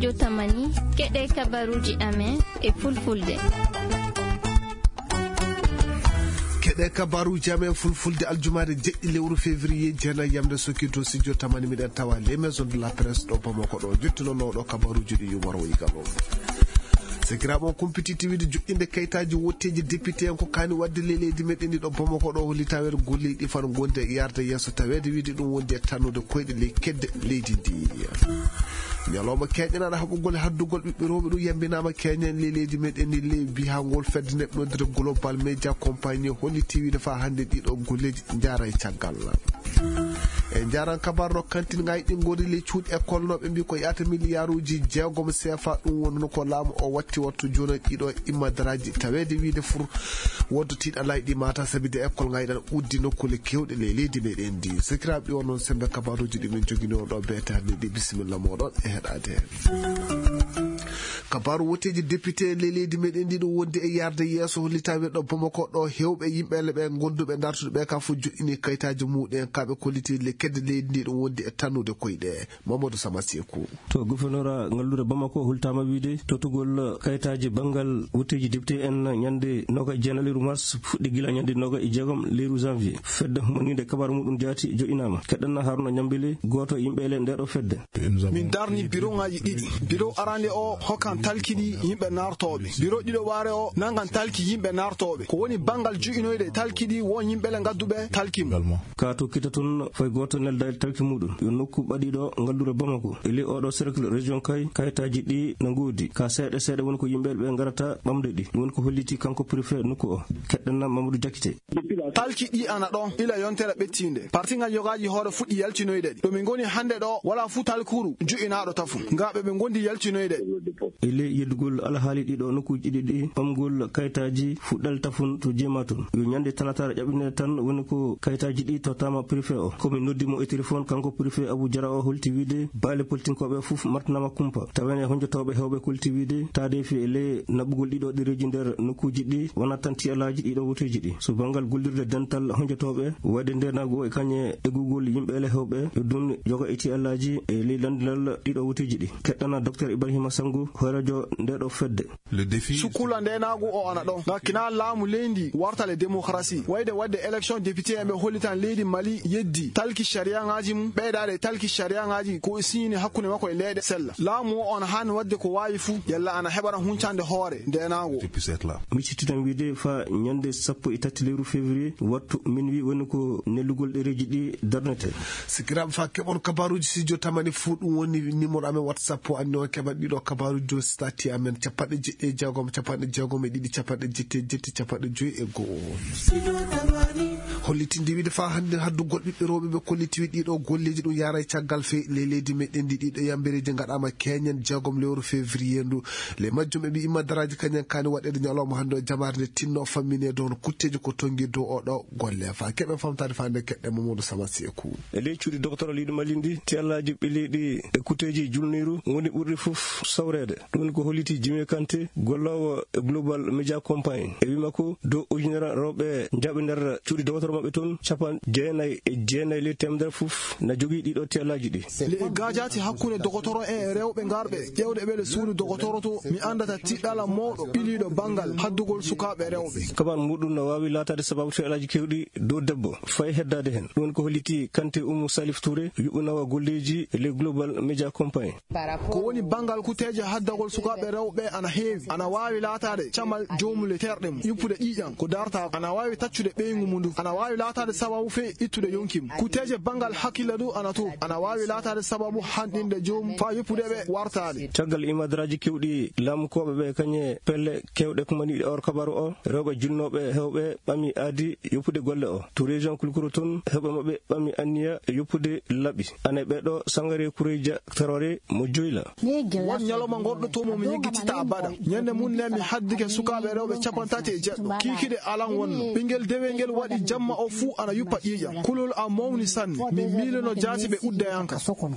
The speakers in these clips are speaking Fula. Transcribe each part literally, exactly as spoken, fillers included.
Jotamani, keɗe kabaruuji amen e fulfulde. Keɗe kabaruuji amen fulfulde aljumaare jeɗɗi lewru février, jeenayi yamde sokki to studio tamani, miɗen tawa les maisons de la presse ɗo Bamako ɗo. Jottinooɗo kabaruuji ɗi Yumaro Igalo. Sekiraaɓe, on kumpititti wiide joƴƴinde kayitaaji wotteeji député en ko kaani waɗde ley leydi meɗen ndi ɗo Bamako ɗo, holli taweede golleeji ɗi fano ngondi e yarde yeeso, taweede wiide ɗum wondi e tannude koyɗe ley kedde leydi ndi. Ñalawma keeñanaaɗo haɓugol haddugol ɓiɓɓe rewɓe ɗum yambinaama keeñen ley leydi meɗen ndi, ley biyangol fedde neɗɗo noddirde Global Media Company, hollitii wiide faa hannde ɗiɗo golleeji njaara e caggal. E njaran kabaru ɗo kantin ngayɗi ngori ley cuuɗi école no ɓe mbi ko yaata miliyaaruuji jeegom C F A, ɗum wonno ko laamu o watti wattu jooni ɗiɗo immadaraaji taweede wiide fur woddo tiiɗalaaji ɗi mata sabi de école ngayɗan uddi nokkuule keewɗe ley leydi meɗen ndi. Sekiraaɓe, ɗi on noon sembe kabaruuji ɗi min jogini on ɗo beetaade ɗi. Bisimilla mooɗon e heɗaade. Kabaru wotteeji député en ley leydi meɗen ndi ɗum wondi e yarde yeeso, hollitaa wiide ɗo Bamako ɗo heewɓe yimɓe le ɓe gonduɓe dartude ɓe ka fof joɗɗini kayitaaji muɗen, kaɓe kolliti le kedde leydi ndi ɗum wondi e tannude koyɗe. Mamadou Sama Seku. To gouverneur ngalluure Bamako holtaama wiide totugol kayitaaji banngal wotteeji député en ñande noga e jeenayi lewru mars fuɗɗi gila ñande noga e jeegom lewru janvier. Fedde humaniinde kabaru muɗum jaati joɗɗinaama. Keɗɗen Haruna Ñambele, gooto e yimɓe le nde ɗo fedde. Min darni biroŋaaji ɗiɗi. Biro arande o hokkan talki ɗi yimɓe nartooɓe. Biro ɗiɗo waare o nangan talki yimɓe nartooɓe. Ko woni banngal ju'inoyde talki ɗi wo yimɓe le ngadduɓe talki mum. Ka to kita tun fay gooto nelda e talki muɗum. Yo nokku ɓaɗiɗo ngalluure Bamako. E ley oɗo cercle région Kay, kayitaaji ɗi na ngoodi. Ka seeɗa seeɗa woni ko yimɓe ɓe ngarata ɓamde ɗi. Ɗum woni ko holliti kanko préfet nokku o. Keɗɗen Mamadou Diakité. Talki ɗi ana ɗon ila yontere ɓettiinde. Parti ngal yogaaji hoore fuɗɗi yaltinoyde ɗi. Ɗo min ngoni hannde ɗo, wala fuu talkuru ju'inaaɗo tafun. Ngaaɓe ɓe ngondi yaltinoyde. E ley yeddugol alhaali ɗiɗo nokkuuji ɗiɗi ɗi, ɓamgol kayitaaji fuɗɗal tafun to jeema tun. Yo ñande talataare ƴaɓɓinede tan woni ko kayitaaji ɗi tottaama préfet o. Ko min noddi mo e téléphone, kanko préfet Abou Diarra o holti wiide baale politinkooɓe fof martanaama kumpa. Tawene honjotooɓe heewɓe kolti wiide taadeefi e ley naɓugol ɗiɗo ɗereeji nder nokkuuji ɗi wonat tan tiyalaaji ɗiɗo woteeji ɗi. So banngal gollirde dental honjotooɓe wayde ndeenaagu o e kañe eggugol yimɓe ele heewɓe, yo ɗum yoga e tiyalaaji e ley lanndinal ɗiɗo woteeji ɗi. Keɗɗana Docteur Ibrahima Sango, hooreejo nde ɗo fedde. Le défi. Sukkula ndeenaagu o ana ɗon. Ngam kina laamu leydi warta le démocratie. Wayde waɗde élection député en ɓe hollitan leydi Mali yeddi talki sariyaŋaaji mum, ɓeydaade talki sariyaŋaaji ko siñini hakkunde makko e leyɗe sella. Laamu o on haani waɗde ko waawi fuu, yalla ana heɓana huncande hoore ndeenaagu. Depuis cette là. Mi sittitan wiide fa ñande sappo e tati lewru février, wattu minuit woni ko nellugol ɗereeji ɗi darnete. Sikiraaɓe, fa keɓon kabaruuji studio tamani fuu, ɗum woni numéro amen WhatsApp o, anndi on keɓat ɗiɗo kabaruuji dow stati amen, capanɗe jeɗɗi e jeegom, capanɗe jeegom e ɗiɗi, capanɗe jetti e jetti, capanɗe joyi e go'o. Hollitinde wiide fa hannde haddugol ɓiɓɓe rewɓe ɓe kolliti wiide ɗiɗo golleeji ɗum yaara e caggal fey ley leydi meɗen ndi, ɗiɗo yambereeji ngaɗaama keñen jeegom lewru février ndu. Ley majjum ɓe mbi imma daraaji kañen kaani waɗeede ñalawma hannde o jamaare nde tinno fammine dow no kutteeji ko tongi dow oɗo golle. Fa keɓen famtaade fa nde keɗɗen Mamadou Sama Seku. E ley cuuɗi docteur leydi Mali ndi, tiyallaaji ɓileeɗi e kutteeji julniiru ngoni ɓurɗi fof sawreede. Ɗum woni ko holliti Jimmy Kanté, golloowo e Global Media Company. E wii makko, dow ujunere rewɓe njaaɓi nder cuuɗi docteur maɓɓe toon, capanɗe jeenayi e jeenayi ley teemedere fof na jogii ɗiɗo tiyallaaji ɗi. Le e gaajaati hakkunde dogotoro en e rewɓe ngarɓe ƴeewde ɓe le suudu dogotoro to, mi anndata tiɗɗala mawɗo ɓiliiɗo banngal haddugol sukaaɓe rewɓe. Kaban muɗum no waawi laataade sababu tiyallaaji keewɗi dow debbo, fay heddaade heen. Ɗum woni ko holliti Kanté Oumou Salif Touré, yuɓɓinoowo golleeji le Global Media Company. Ko woni banngal kuteeje haddagol sukaaɓe rewɓe ana heewi. Ana waawi laataade camal joomum le terɗe mum, yuppude ƴiiƴam ko darta, ana waawi taccude ɓeyngu mum ndu, ana waawi laataade sababu fey ittude yonki mum. Kuteeje banngal hakkille du ana to, ana waawi laataade sababu hanɗinde joomum faa yuppude ɓe wartaade. Caggal imadaraaji keewɗi laamukooɓe ɓe kañe pelle keewɗe kumaniiɗe or kabaru o, rewɓe julnooɓe heewɓe ɓami aadi yoppude golle o. To région Kulkuro toon, heewɓe maɓɓe ɓami anniya yoppude laɓi. Ane ɓe ɗo Sangare Kureyja Tarore mo Joyla. Won ñalawma ngorɗo To mo mi yiggitinta abada. Ñande mum ne mi haddike sukaaɓe rewɓe capanɗe tati e jeɗɗo. Kiikiɗe alan wonno. Ɓinngel dewel ngel waɗi jamma o fuu ana yuppa ƴiiƴam. Kulol am mawni sanne. Mi miilono jaati ɓe udda yanka.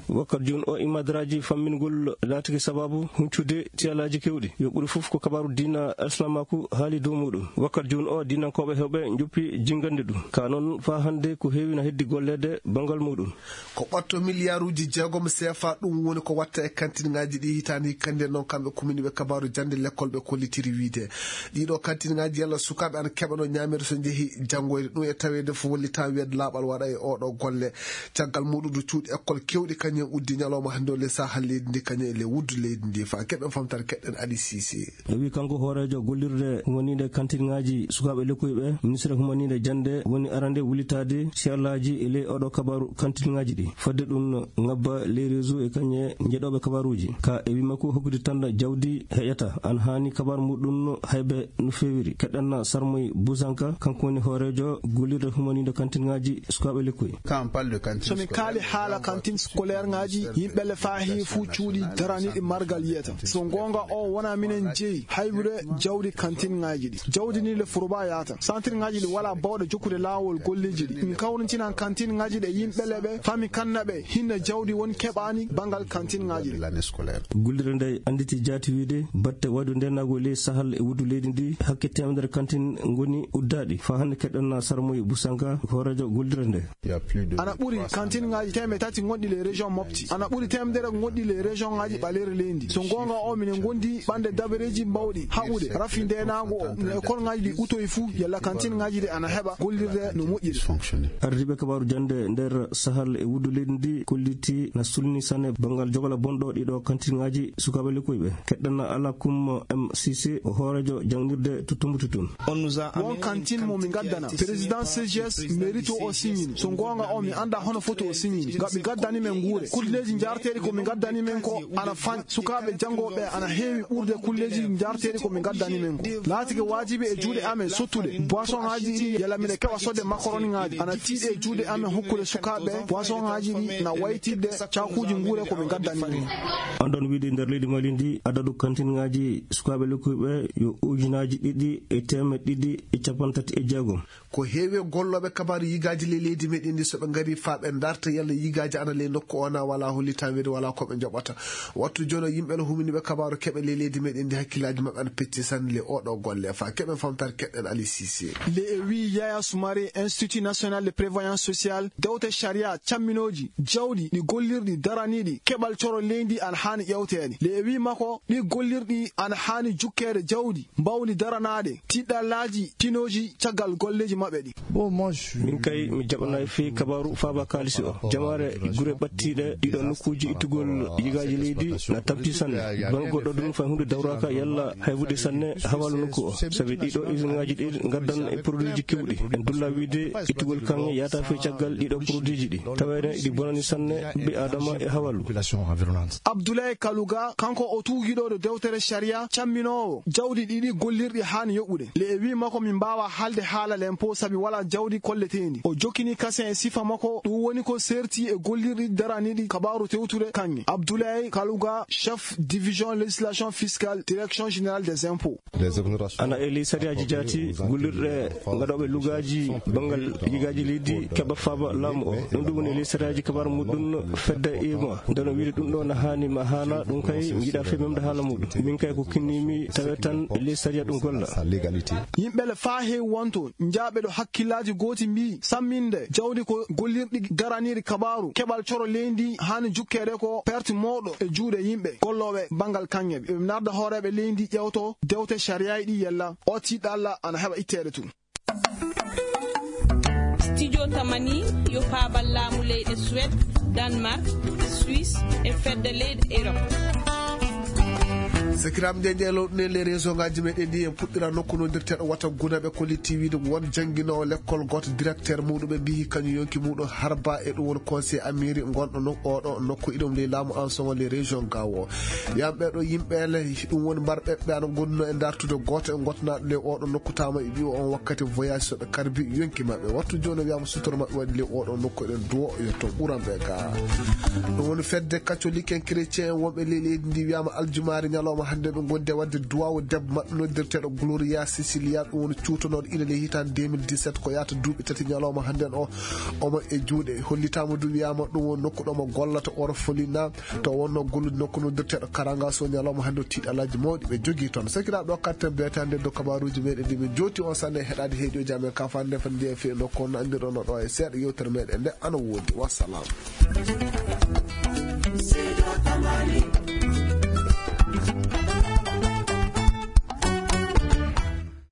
Wakkati jooni o, imadaraaji fammingol laatike sabaabu huncude tiyalaaji keewɗi. Yo ɓuri fof ko kabaaru diina alsilaamaaku haali dow muuɗum. Wakkati jooni o, diinankooɓe heewɓe njoppi jinngande ɗum. Ka noon, faa hannde ko heewi na heddi golleede banngal muuɗum. Ko ɓatto miliyaaruuji jeegom seefa, ɗum woni ko watta e kantinŋaaji ɗi hitaande hikkanɗe. Noon kamɓe kuminiiɓe kabaaru jannde lekkol ɓe kollitiri wiyde ɗiɗo kantinŋaaji yalla sukaaɓe ana keɓano ñaameede so njehi janngoyde. Ɗum e taweede fof wallitaa wiyde laaɓal waɗa e oɗo golle. Caggal muuɗum du cuuɗi ekkol keewɗi kañum en uddi ñalawma hannde o le saha leydi ndi kañum e le wuddu leydi ndi. Faa keɓen famtare keɗɗen Ali Sisi. O wi kanko hooreejo gollirde humaniinde kantinŋaaji sukaaɓe lekkoy ɓe, ministre humaniinde jannde woni arande wulitaade siyallaaji e ley oɗo kabaaru kantinŋaaji ɗi. Fodde ɗum no ngabba les réseaux e kañe njeɗooɓe kabaaruuji. Ka e wi makko hokkude tan jawdi heƴata. An haani kabaaru muɗum no haybe no feewiri. Keɗɗanna Sarmoy Busanka, kanko woni hooreejo gollirde humaniinde kantinŋaaji sukaaɓe lekkoy. So min kaali haala kantin scolaire ŋaaji, yimɓe le faa heewi fuu cuuɗi daraniiɗi margal yiyata. So goonga o wona minen jeyi haybude jawdi kantinŋaaji ɗi. Jawdi ni le furba yaata. Santirŋaaji ɗi wala bawɗe jokkude laawol golleeji ɗi. Min kawrintinan kantinŋaaji ɗe yimɓe le ɓe fami kanna ɓe hinna jawdi won keɓaani banngal kantinŋaaji ɗi. Gollirde nde annditi jaati wiide batte waydu ndenaagu ley sahal e wuddu leydi ndi hakke teemedere kantin ngoni uddaaɗi. Faa hannde keɗɗen na Sarmoy Busanka, hooreejo gollirde nde. Ana ɓuri kantinŋaaji teemedde tati gonɗi le région Mopti. Ana ɓuri teemedere gonɗi le région ŋaaji ɓaleeri leydi. So goonga o minen gondi ɓande dabareeji bawɗi haɓude rafi ndenaagu o. No école ŋaaji ɗi utoyi fuu yalla kantinŋaaji ɗi ana heɓa gollirde no moƴƴiri. Ardiiɓe kabaaru jannde nder sahal e wuddu leydi ndi kolliti na sulni sanne banngal jogala bonɗo ɗiɗo kantinŋaaji sukaaɓe lekkoy ɓe. Keɗɗana Alakum M C C, o hooreejo jangnirde to Tumbututun. Won kantin mo mi ngaddana. Président C G S mérite o signini. So goonga o mi annda hono foti o signini. Ngam mi ngaddani men nguure. Kulleeji njaarteeɗi ko mi ngaddani men ko ana fanɗi. Sukaaɓe janngooɓe ana heewi ɓurde kulleeji njaarteeɗi ko mi ngaddani men ko. Laatike waajibi e juuɗe amen sottude. Boisson ŋaaji ɗi yalla miɗe keɓa sodde macaroni ŋaaji. Ana tiiɗi e juuɗe amen hokkude sukaaɓe boisson ŋaaji ɗi na waytidde caakuuji nguure ko mi ngaddani men. Anndon wiide nder leydi Mali ndi adadu kantin ŋaaji sukaaɓe lekkoy ɓe yo ujunaaji ɗiɗi e teemeɗɗe ɗiɗi e capanɗe tati e jeegom. Ko heewi e gollooɓe kabaaru yigaaji ley leydi meɗen ndi so ɓe ngari faa ɓe ndarta yalla yigaaji ana ley nokku o na wala hollitaa wiyde wala ko ɓe njoɓata. Wattu jooni o yimɓe no huminiiɓe kabaaru keɓe ley leydi meɗen ndi hakkillaaji maɓɓe ana pecci sanne ley oɗo golle faa keɓen famtaare keɗɗen Ali Sisi. Le e wii Yaya Soumare, Institut National de Prévoyance Sociale, dewte sharia camminooji jawɗi ɗi gollirɗi daraniiɗi keɓal coro leydi ana haani ƴewteede. Le e wii makko ɗi gollirɗi ana haani jukkeede jawdi mbawndi daranaade tiɗɗallaaji tinooji caggal golleeji maɓɓe ɗi. Min kay mi jaɓanaay fii kabaaru faaba kaalisi o. Jamaare gure ɓattiiɗe ɗiɗo nokkuuji ittugol yigaaji leydi na tampi sanne. Bana goɗɗo ɗum fay huunde dawraaka yalla haybude sanne hawaalu nokku o. Sabi ɗiɗo isinŋaaji ɗi ngaddan e produitji keewɗi. En dulla wiide ittugol kaŋŋe yaata fii caggal ɗiɗo produitji ɗi. Taweene ɗi bonani sanne ɓiɓɓe Aadama e hawaalu. Abdoulaye Kalouga, kanko o tuugiɗo ɗo dewtere sharia camminoowo jawdi ɗiɗi gollirɗi haani yoɓude. Le e wii makko min mbaawa haalde haala l'impôt sabi wala jawdi kolleteendi. O jokkini kasen e sifa makko, ɗum woni ko seerti e gollirɗi daraniiɗi kabaaru tewtude kaŋŋe. Abdoulaye Kalouga, chef division législation fiscale, direction générale des impôts. Ana e ley sariyaaji jaati gollirɗe ngaɗooɓe lugaaji banngal yigaaji leydi keɓa faaba laamu o. Ɗum ɗum woni e ley sariyaaji kabaaru muɗum fedde ima. Nde no wiide ɗum ɗo na haani ma haana, ɗum kay mi yiɗaa fii memde haala muɗum. Min kay ko kinniimi tawe tan e ley sariya ɗum golla. Yimɓe le faa heewi wonto njaaɓe ɗo hakkillaaji gooti mbii samminde jawdi ko gollirɗi daraniiɗi kabaaru keɓal coro leydi haani jukkeede ko perte mawɗo e juuɗe yimɓe gollooɓe banngal kaŋŋe ɓe. Ɓe narda hooreeɓe leydi ƴewto dewte sariyaaji ɗi yalla o tiiɗalla ana heɓa itteede tun. Studio Tamani yo faabal laamu leyɗe Suède, Danemark, Suisse e fedde leyɗe Europe. Sakiraaɓe, nde nde lowɗuɗen les région ngaji meɗen ɗi, en puɗɗira nokku noddirteɗo wata Guna ɓe kolliti wiide won jannginoowo lekkol gooto directeur muɗum ɓe mbiyi kañum yonki muɗum harba e ɗum woni conseil amiri gonɗo no oɗo nokku iɗum ley laamu ensemble les région gawo. Wiyama ɓeɗo yimɓe le ɗum woni mbar ɓeɓɓe ana gonduno e dartude gooto e gotnaɗo ley oɗo nokku tama e ɓiwo on wakkati voyage soɓe karbi yonki maɓɓe. Wattu joni wiyama sutoro maɓɓe waɗi ley oɗo nokku eɗen duwo yo to ɓuran ɓe ga. Ɗum woni fedde catholique en chrétien en wonɓe ley leydi ndi wiyama aljumaari ñalawma Hannde ɓe ngondi e waɗde duwaawu debbo maɓɓe noddirteeɗo Gloria Cecilia, ɗum woni cuutonooɗo Italie hitaande deux mille dix-sept, ko yahata duuɓi tati ñalawma hannde o, omo e juuɗe. Hollitaama du, wiyaama ɗum woni nokku ɗo mo gollata orphelinat, to wonno gollude nokku noddirteeɗo Karanga. So ñalawma hannde o, tiiɗalaaji mawɗi ɓe jogii toon. Sakiraaɓe, o kattan beetaande do kabaaruuji meɗen ɗi min jooti on sanne heɗaade heɗiyoji amen ka fande fande jeeya fi nokku on anndirɗon ɗo e seeɗa yewtere meɗen nde ana woodi. Wassalam.